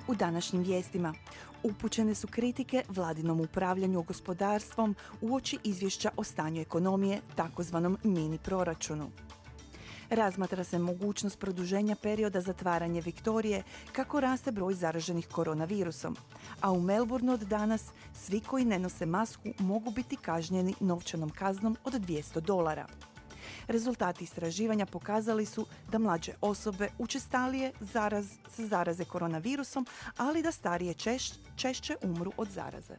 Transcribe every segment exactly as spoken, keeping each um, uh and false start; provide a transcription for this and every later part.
U današnjim vijestima upućene su kritike vladinom upravljanju gospodarstvom uoči izvješća o stanju ekonomije, takozvanom mini proračunu. Razmatra se mogućnost produženja perioda zatvaranja Viktorije kako raste broj zaraženih koronavirusom, a u Melbourneu od danas svi koji ne nose masku mogu biti kažnjeni novčanom kaznom od dvjesto dolara. Rezultati istraživanja pokazali su da mlađe osobe učestalije zaraz, se zaraze koronavirusom, ali da starije češ, češće umru od zaraze.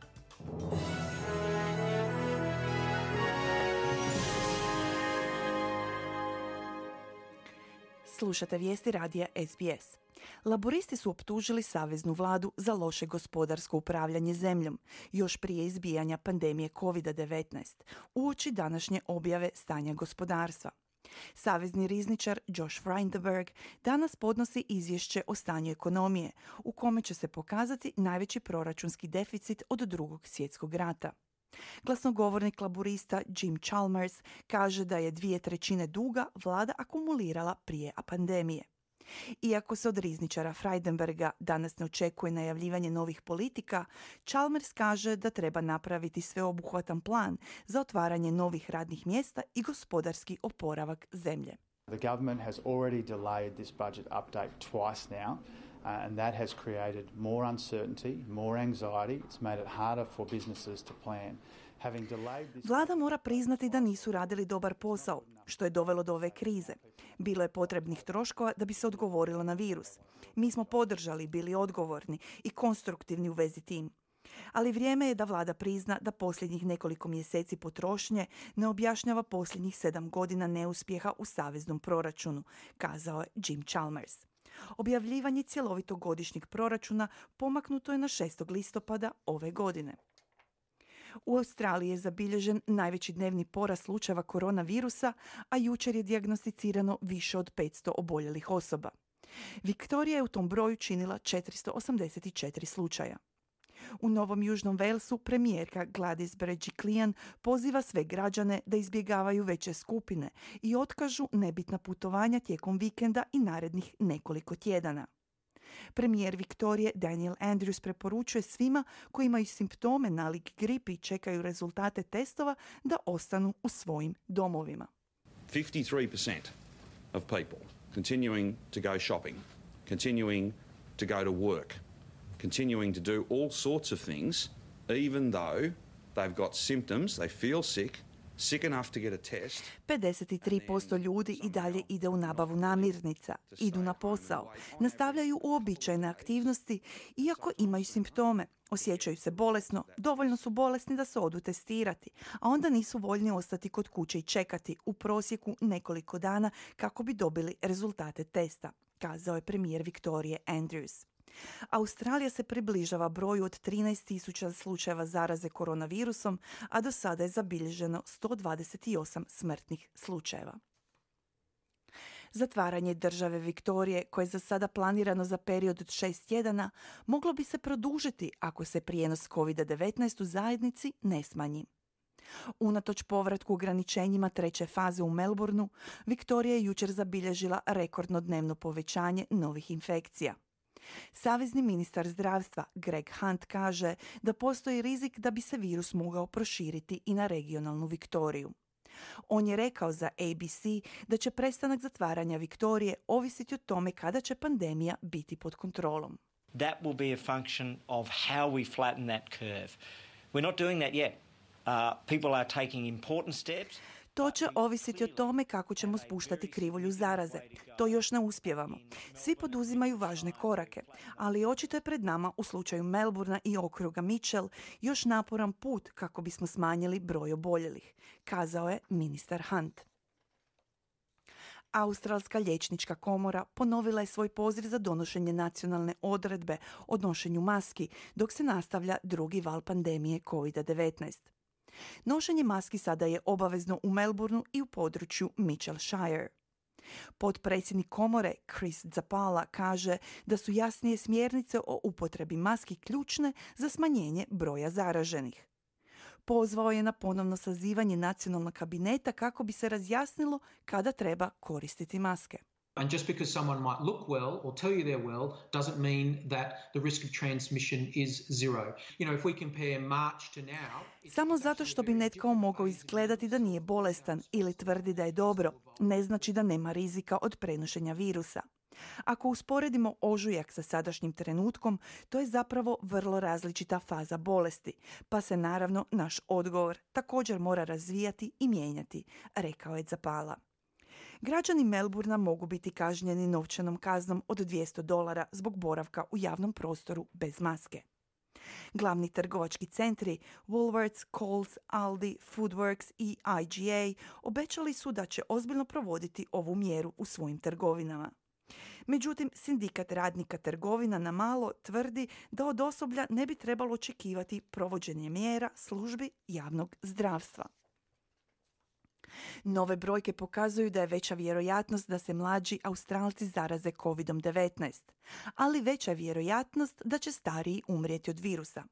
Slušate vijesti radija S B S. Laboristi su optužili saveznu vladu za loše gospodarsko upravljanje zemljom, još prije izbijanja pandemije kovid devetnaest, uoči današnje objave stanja gospodarstva. Savezni rizničar Josh Frydenberg danas podnosi izvješće o stanju ekonomije, u kome će se pokazati najveći proračunski deficit od drugog svjetskog rata. Glasnogovornik laborista Jim Chalmers kaže da je dvije trećine duga vlada akumulirala prije pandemije. Iako se od rizničara Frydenberga danas ne očekuje najavljivanje novih politika, Chalmers kaže da treba napraviti sveobuhvatan plan za otvaranje novih radnih mjesta i gospodarski oporavak zemlje. The government has already delayed this budget update twice now, uh, and that has created more uncertainty, more anxiety. It's made it harder for businesses to plan. Having delayed this... Vlada mora priznati da nisu radili dobar posao, što je dovelo do ove krize. Bilo je potrebnih troškova da bi se odgovorilo na virus. Mi smo podržali, bili odgovorni i konstruktivni u vezi tim. Ali vrijeme je da vlada prizna da posljednjih nekoliko mjeseci potrošnje ne objašnjava posljednjih sedam godina neuspjeha u saveznom proračunu, kazao je Jim Chalmers. Objavljivanje cjelovitog godišnjeg proračuna pomaknuto je na šestog listopada ove godine. U Australiji je zabilježen najveći dnevni porast slučajeva koronavirusa, a jučer je dijagnosticirano više od petsto oboljelih osoba. Viktorija je u tom broju činila četiristo osamdeset četiri slučaja. U Novom Južnom Walesu premijerka Gladys Berejiklian poziva sve građane da izbjegavaju veće skupine i otkažu nebitna putovanja tijekom vikenda i narednih nekoliko tjedana. Premijer Viktorije Daniel Andrews preporučuje svima koji imaju simptome nalik gripi i čekaju rezultate testova da ostanu u svojim domovima. fifty-three percent of people continuing to go shopping, continuing to go to work, continuing to do all sorts of things, even though they've got symptoms, they feel sick, sick enough to get a test. pedeset tri posto ljudi i dalje ide u nabavu namirnica, idu na posao, nastavljaju uobičajene aktivnosti, iako imaju simptome, osjećaju se bolesno, dovoljno su bolesni da se odu testirati, a onda nisu voljni ostati kod kuće i čekati u prosjeku nekoliko dana kako bi dobili rezultate testa, kazao je premijer Viktorije Andrews. Australija se približava broju od trinaest tisuća slučajeva zaraze koronavirusom, a do sada je zabilježeno sto dvadeset osam smrtnih slučajeva. Zatvaranje države Viktorije, koje je za sada planirano za period od šest tjedana, moglo bi se produžiti ako se prijenos kovid devetnaest u zajednici ne smanji. Unatoč povratku ograničenjima treće faze u Melbourneu, Viktorija je jučer zabilježila rekordno dnevno povećanje novih infekcija. Savezni ministar zdravstva Greg Hunt kaže da postoji rizik da bi se virus mogao proširiti i na regionalnu Viktoriju. On je rekao za A B C da će prestanak zatvaranja Viktorije ovisiti o tome kada će pandemija biti pod kontrolom. That will be a function of how we flatten that curve. We're not doing that yet. Uh, people are taking important steps. To će ovisiti o tome kako ćemo spuštati krivulju zaraze. To još ne uspijevamo. Svi poduzimaju važne korake, ali očito je pred nama u slučaju Melbournea i okruga Mitchell još naporan put kako bismo smanjili broj oboljelih, kazao je ministar Hunt. Australska liječnička komora ponovila je svoj poziv za donošenje nacionalne odredbe o nošenju maski dok se nastavlja drugi val pandemije kovid devetnaest. Nošenje maski sada je obavezno u Melbourneu i u području Mitchellshire. Potpredsjednik komore Chris Zapala kaže da su jasnije smjernice o upotrebi maski ključne za smanjenje broja zaraženih. Pozvao je na ponovno sazivanje nacionalnog kabineta kako bi se razjasnilo kada treba koristiti maske. And just because someone might look well or tell you they're well doesn't mean that the risk of transmission is zero. You know, if we compare March to now... Samo zato što bi netko mogao izgledati da nije bolestan ili tvrdi da je dobro, ne znači da nema rizika od prenošenja virusa. Ako usporedimo ožujak sa sadašnjim trenutkom, to je zapravo vrlo različita faza bolesti, pa se naravno naš odgovor također mora razvijati i mijenjati, rekao je Zappala. Građani Melbourna mogu biti kažnjeni novčanom kaznom od dvjesto dolara zbog boravka u javnom prostoru bez maske. Glavni trgovački centri Woolworths, Coles, Aldi, Foodworks i I G A obećali su da će ozbiljno provoditi ovu mjeru u svojim trgovinama. Međutim, sindikat radnika trgovina na malo tvrdi da od osoblja ne bi trebalo očekivati provođenje mjera službi javnog zdravstva. Nove brojke pokazuju da je veća vjerojatnost da se mlađi Australci zaraze kovid devetnaest, ali veća je vjerojatnost da će stariji umrijeti od virusa.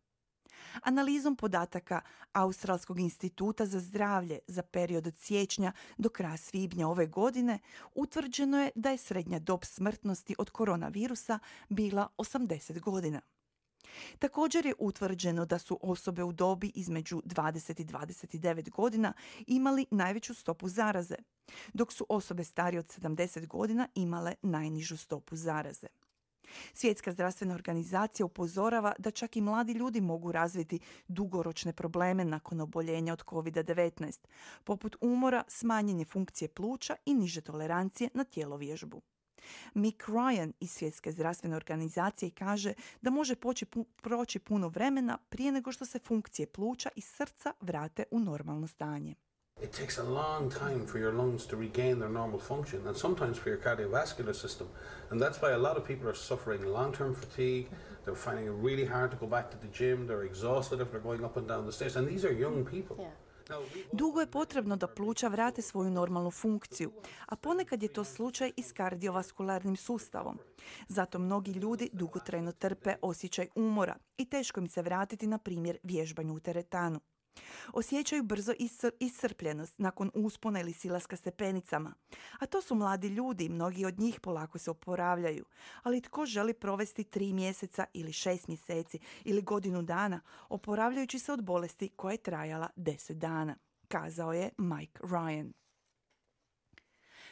Analizom podataka Australskog instituta za zdravlje za period od siječnja do kraja svibnja ove godine utvrđeno je da je srednja dob smrtnosti od koronavirusa bila osamdeset godina. Također je utvrđeno da su osobe u dobi između dvadeset i dvadeset devet godina imali najveću stopu zaraze, dok su osobe starije od sedamdeset godina imale najnižu stopu zaraze. Svjetska zdravstvena organizacija upozorava da čak i mladi ljudi mogu razviti dugoročne probleme nakon oboljenja od kovid devetnaest, poput umora, smanjenje funkcije pluća i niže tolerancije na tjelovježbu. Mick Ryan iz Svjetske zdravstvene organizacije kaže da može poći pu- proći puno vremena prije nego što se funkcije pluća i srca vrate u normalno stanje. It takes a long time for your lungs to regain their normal function, and sometimes for your cardiovascular system. And that's why a lot of people are suffering long-term fatigue. They're finding it really hard to go back to the gym. They're exhausted if they're going up and down the stairs. And these are young people. Yeah. Dugo je potrebno da pluća vrate svoju normalnu funkciju, a ponekad je to slučaj i s kardiovaskularnim sustavom. Zato mnogi ljudi dugotrajno trpe osjećaj umora i teško im se vratiti, na primjer, vježbanju u teretanu. Osjećaju brzo iscr- iscrpljenost nakon uspona ili silaska stepenicama. A to su mladi ljudi, mnogi od njih polako se oporavljaju. Ali tko želi provesti tri mjeseca ili šest mjeseci ili godinu dana oporavljajući se od bolesti koja je trajala deset dana, kazao je Mike Ryan.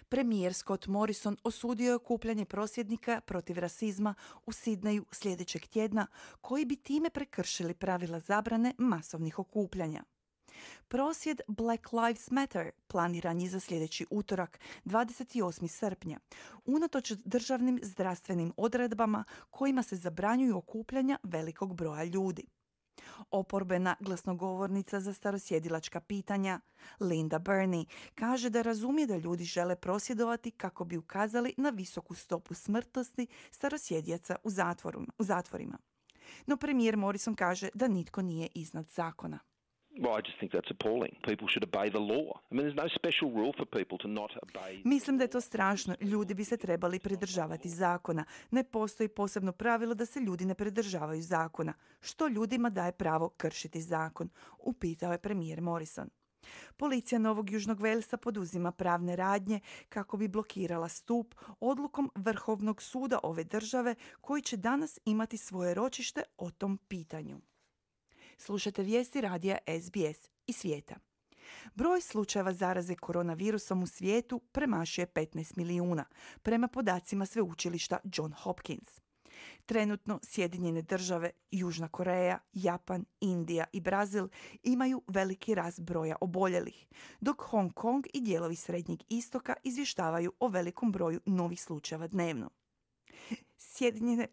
Premijer Scott Morrison osudio je okupljanje prosvjednika protiv rasizma u Sidneju sljedećeg tjedna, koji bi time prekršili pravila zabrane masovnih okupljanja. Prosvjed Black Lives Matter planiran je za sljedeći utorak, dvadeset osmog srpnja, unatoč državnim zdravstvenim odredbama kojima se zabranjuju okupljanja velikog broja ljudi. Oporbena glasnogovornica za starosjedilačka pitanja, Linda Burney, kaže da razumije da ljudi žele prosvjedovati kako bi ukazali na visoku stopu smrtnosti starosjedijaca u, u zatvorima. No premijer Morrison kaže da nitko nije iznad zakona. Well, I just think that's appalling. People should obey the law. I mean, there's no special rule for people to not obey. Mislim da je to strašno. Ljudi bi se trebali pridržavati zakona. Ne postoji posebno pravilo da se ljudi ne pridržavaju zakona. Što ljudima daje pravo kršiti zakon? Upitao je premijer Morrison. Policija Novog Južnog Velsa poduzima pravne radnje kako bi blokirala stup odlukom Vrhovnog suda ove države, koji će danas imati svoje ročište o tom pitanju. Slušate vijesti radija S B S i svijeta. Broj slučajeva zaraze koronavirusom u svijetu premašuje petnaest milijuna, prema podacima sveučilišta John Hopkins. Trenutno Sjedinjene države, Južna Koreja, Japan, Indija i Brazil imaju veliki rast broja oboljelih, dok Hong Kong i dijelovi Srednjeg istoka izvještavaju o velikom broju novih slučajeva dnevno. Sjedinjene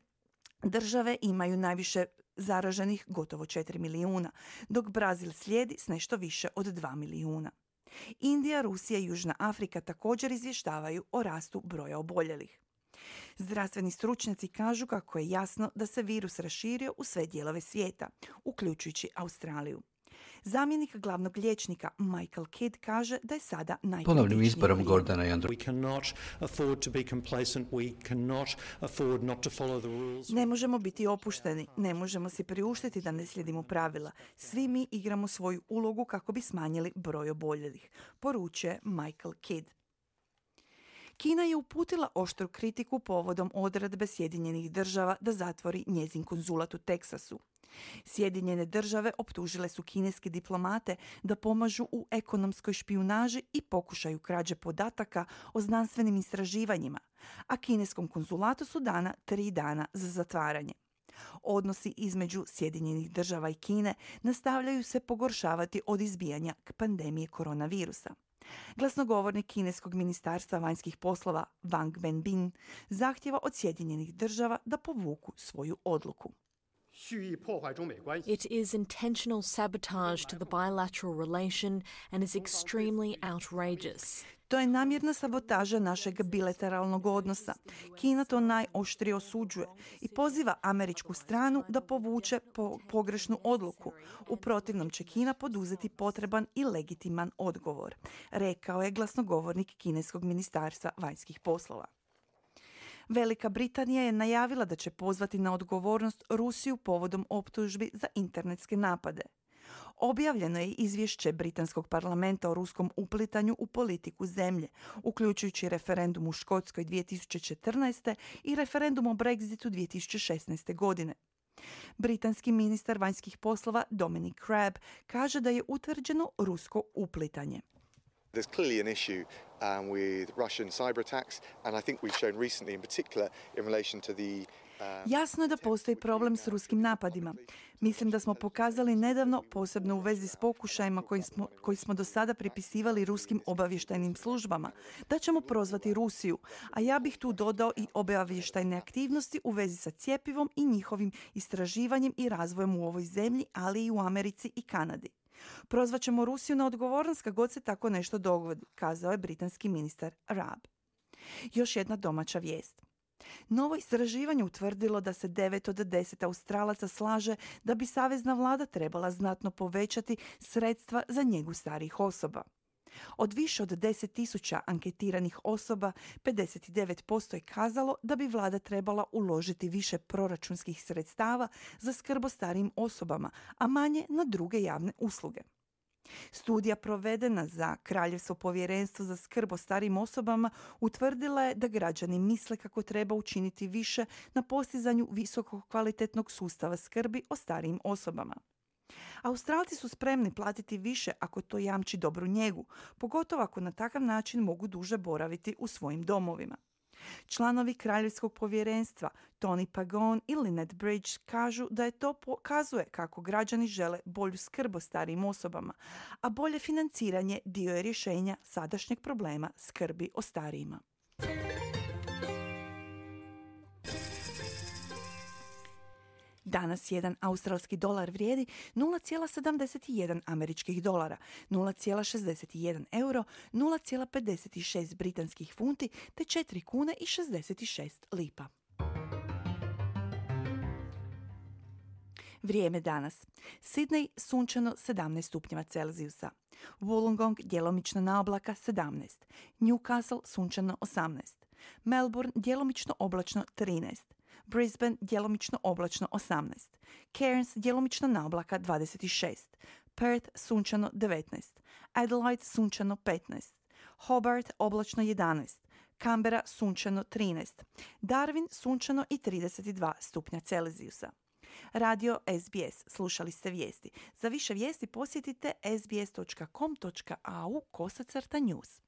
države imaju najviše zaraženih, gotovo četiri milijuna, dok Brazil slijedi s nešto više od dva milijuna. Indija, Rusija i Južna Afrika također izvještavaju o rastu broja oboljelih. Zdravstveni stručnjaci kažu kako je jasno da se virus raširio u sve dijelove svijeta, uključujući Australiju. Zamjenik glavnog liječnika Michael Kidd kaže da je sada najkritičniji. Ponovnim izborom Gordana i Andrew. We cannot afford to be complacent. We cannot afford not to follow the rules. Ne možemo biti opušteni, ne možemo si priuštiti da ne slijedimo pravila. Svi mi igramo svoju ulogu kako bi smanjili broj oboljelih, poručuje Michael Kidd. Kina je uputila oštru kritiku povodom odredbe Sjedinjenih država da zatvori njezin konzulat u Teksasu. Sjedinjene države optužile su kineske diplomate da pomažu u ekonomskoj špijunaži i pokušaju krađe podataka o znanstvenim istraživanjima, a kineskom konzulatu su dana tri dana za zatvaranje. Odnosi između Sjedinjenih država i Kine nastavljaju se pogoršavati od izbijanja pandemije koronavirusa. Glasnogovornik kineskog ministarstva vanjskih poslova Wang Wenbin zahtjeva od Sjedinjenih država da povuku svoju odluku. It is intentional sabotage to the bilateral relation and is extremely outrageous. To je namjerna sabotaža našeg bilateralnog odnosa. Kina to najoštrije osuđuje i poziva američku stranu da povuče po pogrešnu odluku. U protivnom će Kina poduzeti potreban i legitiman odgovor, rekao je glasnogovornik kineskog ministarstva vanjskih poslova. Velika Britanija je najavila da će pozvati na odgovornost Rusiju povodom optužbi za internetske napade. Objavljeno je izvješće britanskog parlamenta o ruskom uplitanju u politiku zemlje, uključujući referendum u Škotskoj dvije tisuće četrnaeste. i referendum o Brexitu dvije tisuće šesnaeste. godine. Britanski ministar vanjskih poslova Dominic Raab kaže da je utvrđeno rusko uplitanje. There's clearly an issue um, with Russian cyber attacks, and I think we've shown recently, in particular, in relation to the Jasno je da postoji problem s ruskim napadima. Mislim da smo pokazali nedavno, posebno u vezi s pokušajima koji smo, koji smo do sada pripisivali ruskim obavještajnim službama, da ćemo prozvati Rusiju, a ja bih tu dodao i obavještajne aktivnosti u vezi sa cjepivom i njihovim istraživanjem i razvojem u ovoj zemlji, ali i u Americi i Kanadi. Prozvat ćemo Rusiju na odgovornost kad god se tako nešto dogodi, kazao je britanski ministar Raab. Još jedna domaća vijest. Novo istraživanje utvrdilo da se devet od deset Australaca slaže da bi savezna vlada trebala znatno povećati sredstva za njegu starijih osoba. Od više od deset tisuća anketiranih osoba, pedeset devet posto je kazalo da bi vlada trebala uložiti više proračunskih sredstava za skrb o starijim osobama, a manje na druge javne usluge. Studija provedena za Kraljevsko povjerenstvo za skrb o starijim osobama utvrdila je da građani misle kako treba učiniti više na postizanju visoko kvalitetnog sustava skrbi o starijim osobama. Australci su spremni platiti više ako to jamči dobru njegu, pogotovo ako na takav način mogu duže boraviti u svojim domovima. Članovi Kraljevskog povjerenstva Tony Pagon i Lynette Bridge kažu da je to pokazuje kako građani žele bolju skrb o starijim osobama, a bolje financiranje dio je rješenja sadašnjeg problema skrbi o starijima. Danas jedan australski dolar vrijedi nula zarez sedamdeset jedan američkih dolara, nula zarez šezdeset jedan euro, nula zarez pedeset šest britanskih funti te četiri kune i šezdeset šest lipa. Vrijeme danas. Sidney sunčano sedamnaest stupnjeva Celzijusa. Wollongong djelomično na oblaka sedamnaest. Newcastle sunčano osamnaest. Melbourne djelomično oblačno trinaest. Brisbane djelomično oblačno osamnaest. Cairns djelomično na oblaka dvadeset šest. Perth sunčano devetnaest. Adelaide sunčano petnaest. Hobart oblačno jedanaest. Canberra sunčano trinaest. Darwin sunčano i trideset dva stupnja Celzijusa. Radio S B S. Slušali ste vijesti. Za više vijesti posjetite sbs dot com dot a u kosacrta news.